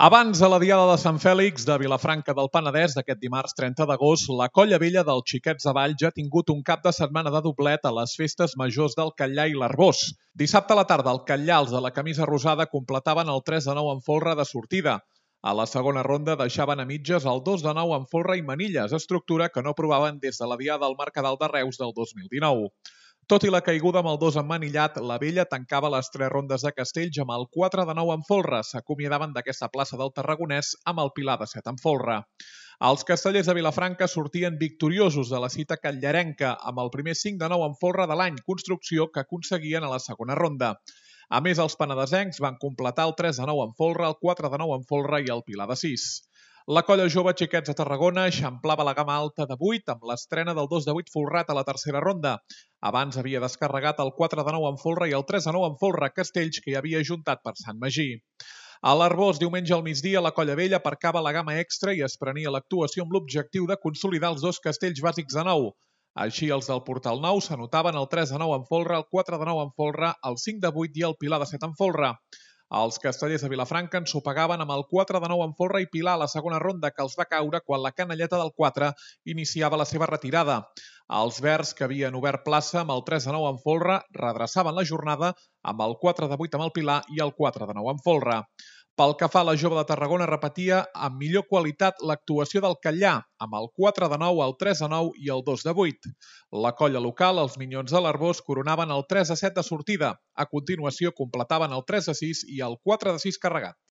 Abans de la Diada de Sant Fèlix de Vilafranca del Penedès d'aquest dimarts 30 d'agost, la Colla Vella dels Xiquets de Valls ja ha tingut un cap de setmana de doblet a les festes majors del Catllar i l'Arbós. Dissabte a la tarda, el Catllar, els de la camisa rosada, completaven el 3-9 en folre de sortida. A la segona ronda deixaven a mitges el 2-9 en folre i manilles, estructura que no provaven des de la Diada del Mercadal de Reus del 2019. Tot i la caiguda amb el 2 emmanillat, la Vella tancava les 3 rondes de Castells amb el 4-9 en folre. S'acomiadaven d'aquesta plaça del Tarragonès amb el Pilar de 7 en folre. Els castellers de Vilafranca sortien victoriosos de la cita catllerenca amb el primer 5-9 en folre de l'any, construcció que aconseguien a la segona ronda. A més, els penedesencs van completar el 3-9 en folre, el 4-9 en folre i el Pilar de 6. La colla jove Xiquets de Tarragona eixamplava la gamma alta de 8 amb l'estrena del 2-8 folrat a la tercera ronda. Abans havia descarregat el 4-9 en folre i el 3-9 en folre a Castells, que hi havia ajuntat per Sant Magí. A l'Arbós, diumenge al migdia, la Colla Vella aparcava la gamma extra i es prenia l'actuació amb l'objectiu de consolidar els 2 castells bàsics de 9. Així, els del Portal Nou s'anotaven el 3-9 en folre, el 4-9 en folre, el 5-8 i el Pilar de 7 en folre. Els castellers de Vilafranca ensopegaven amb el 4-9 en folre i Pilar a la segona ronda, que els va caure quan la canalleta del 4 iniciava la seva retirada. Els verds, que havien obert plaça amb el 3-9 en folre, redreçaven la jornada amb el 4-8 amb el Pilar i el 4-9 en folre. Pel que fa a la jove de Tarragona, repetia amb millor qualitat l'actuació del Catllar, amb el 4-9, el 3-9 i el 2-8. La colla local, els Minyons de l'Arbós, coronaven el 3-7 de sortida. A continuació, completaven el 3-6 i el 4-6 carregat.